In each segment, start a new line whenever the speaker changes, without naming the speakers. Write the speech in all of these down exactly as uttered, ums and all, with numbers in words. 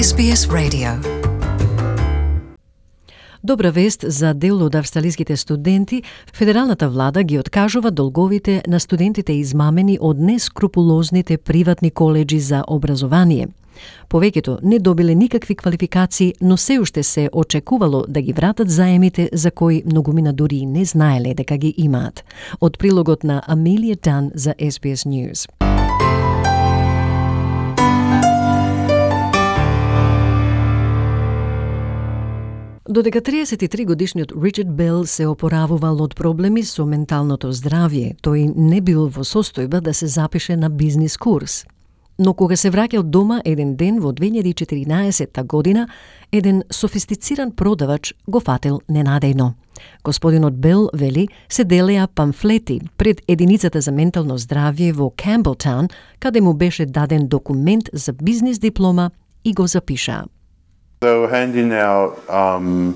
Ес Би Ес Radio. Добра вест за дел од австралиските студенти. Федералната влада ги откажува долговите на студентите измамени од нескрупулозните приватни коледжи за образование. Повеќето не добиле никакви квалификации, но се уште се очекувало да ги вратат заемите за кои многумина дури и не знаеле дека ги имаат. Од прилогот на Амелија Дан за Ес Би Ес News. Додека триесет и три годишниот Ричард Бел се опоравувал од проблеми со менталното здравје, тој не бил во состојба да се запише на бизнис курс. Но кога се враќал дома еден ден во две илјади и четиринаесетта година, еден софистициран продавач го фатил ненадејно. Господинот Бел, вели, се делеа памфлети пред единицата за ментално здравје во Камбелтаун, каде му беше даден документ за бизнис диплома и го запиша.
They were handing out um,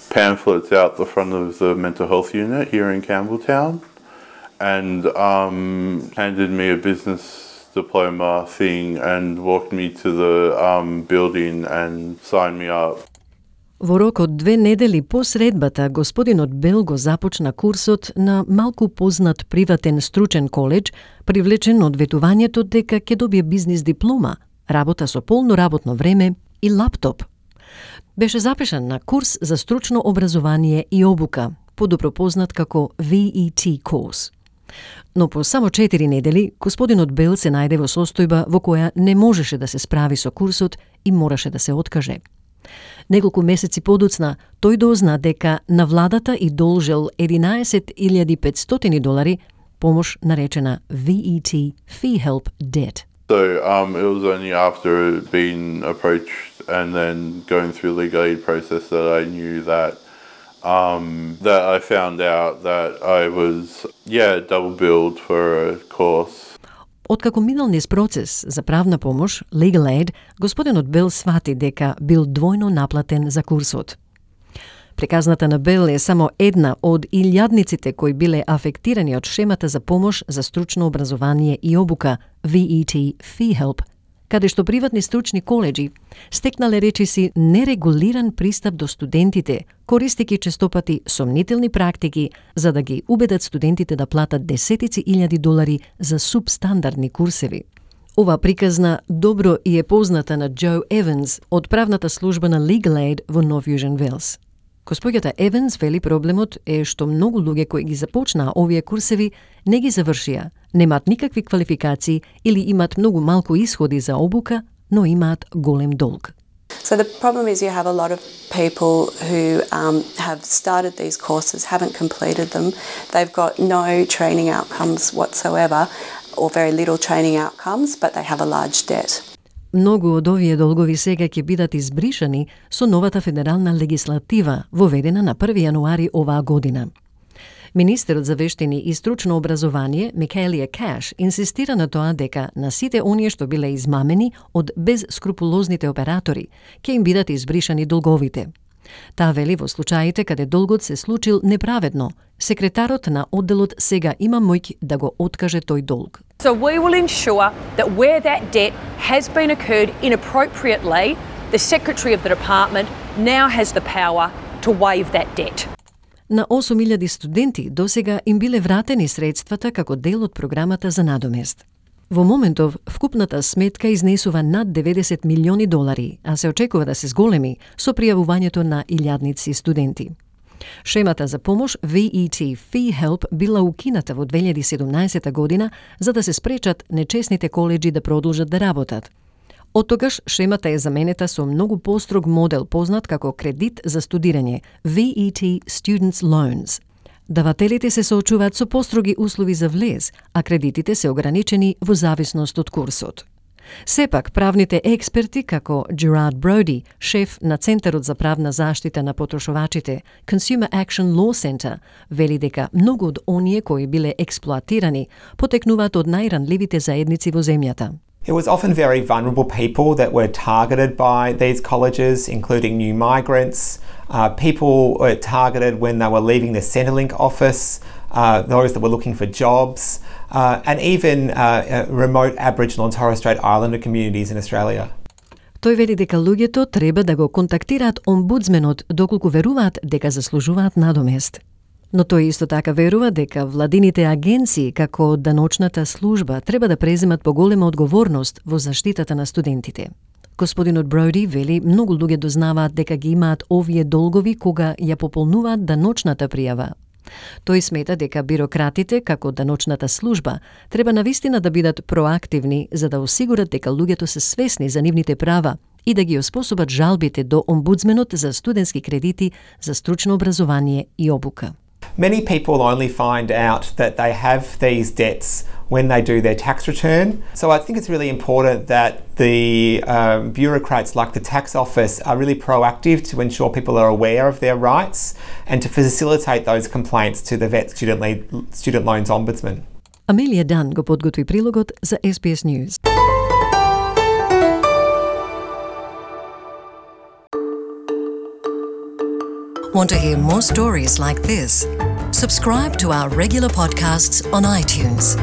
pamphlets out the front of the mental health unit here in Campbelltown and um, handed me a business diploma thing and walked me to the um, building and signed me up.
Во рок од две недели по средбата, господинот Бел го започна курсот на малку познат приватен стручен коледж, привлечен од ветувањето дека ќе добие бизнис диплома, работа со полно работно време и лаптоп. Беше запишан на курс за стручно образование и обука, подобро познат како Ви И Ти course. Но по само четири недели, господинот Бел се најде во состојба во која не можеше да се справи со курсот и мораше да се откаже. Неколку месеци подоцна, тој дозна дека на владата и должел единаесет илјади и петстотини долари помош наречена Ви И Ти Fee Help Debt.
So um, it was only after being approached and then going through legal aid process that I knew that um, that I found out that I was yeah double billed for a course.
Откако минал низ процес за правна помош, legal aid, господинот Бел свати дека бил двојно наплатен за курсот. Приказната на Бел е само една од илјадниците кои биле афектирани од шемата за помош за стручно образование и обука Ви И Ти Fee Help, каде што приватни стручни коледжи стекнале речиси нерегулиран пристап до студентите, користејќи честопати сомнителни практики за да ги убедат студентите да платат десетици илјади долари за субстандардни курсеви. Ова приказна добро и е позната на Джо Еванс од правната служба на Legal Aid во Нов Јужен Велс. Госпоѓата Еванс вели проблемот е што многу луѓе кои ги започнаа овие курсеви не ги завршија, немаат никакви квалификации или имаат многу малку исходи за обука, но имаат голем долг.
So the problem is you have a lot of people who um, have started these courses, haven't completed them. They've got no training outcomes whatsoever or very little training outcomes, but they have a large debt.
Многу од овие долгови сега ќе бидат избришани со новата федерална легислатива, воведена на први јануари оваа година. Министерот за вештини и стручно образование, Микаелија Каш, инсистира на тоа дека на сите оние што биле измамени од безскрупулозните оператори, ќе им бидат избришани долговите. Таа вели во случаите каде долгот се случил неправедно, секретарот на одделот сега има моќ да го откаже тој долг.
So we will ensure that where that debt has been occurred inappropriately, the Secretary of the Department now has the power to waive that debt.
На осум илјади студенти досега им биле вратени средствата како дел од програмата за надомест. Во моментов, вкупната сметка изнесува над деветдесет милиони долари, а се очекува да се зголеми со пријавувањето на илјадници студенти. Шемата за помош Ви И Ти Fee Help била укината во две илјади и седумнаесетта година за да се спречат нечесните коледжи да продолжат да работат. Оттогаш шемата е заменета со многу построг модел познат како кредит за студирање Ви И Ти Students Loans. Давателите се соочуваат со построги услови за влез, а кредитите се ограничени во зависност од курсот. Сепак, правните експерти како Gerard Brody, шеф на Центарот за правна заштита на потрошувачите, Consumer Action Law Center, вели дека многу од оние кои биле експлоатирани потекнуваат од најранливите заедници во земјата.
It was often very vulnerable people that were targeted by these colleges, including new migrants. Uh, people were targeted when they were leaving the Centrelink office, uh, those that were looking for jobs, uh, and even uh, uh, remote Aboriginal and Torres Strait Islander communities in Australia.
Тој вели дека луѓето треба да го контактираат омбудсменот доколку веруваат дека заслужуваат надомест. Но тој исто така верува дека владините агенции, како даночната служба, треба да преземат поголема одговорност во заштитата на студентите. Господинот Броуди вели многу луѓе дознаваат дека ги имаат овие долгови кога ја пополнуваат даночната пријава. Тој смета дека бирократите, како даночната служба, треба навистина да бидат проактивни за да осигурат дека луѓето се свесни за нивните права и да ги оспособат жалбите до омбудсменот за студентски кредити за стручно образование и обука.
Many people only find out that they have these debts when they do their tax return. So I think it's really important that the um, bureaucrats like the tax office are really proactive to ensure people are aware of their rights and to facilitate those complaints to the Vet Student, Le- Student Loans Ombudsman.
Амелија Дан го подготви прилогот за S B S News.
Want to hear more stories like this? Subscribe to our regular podcasts on iTunes.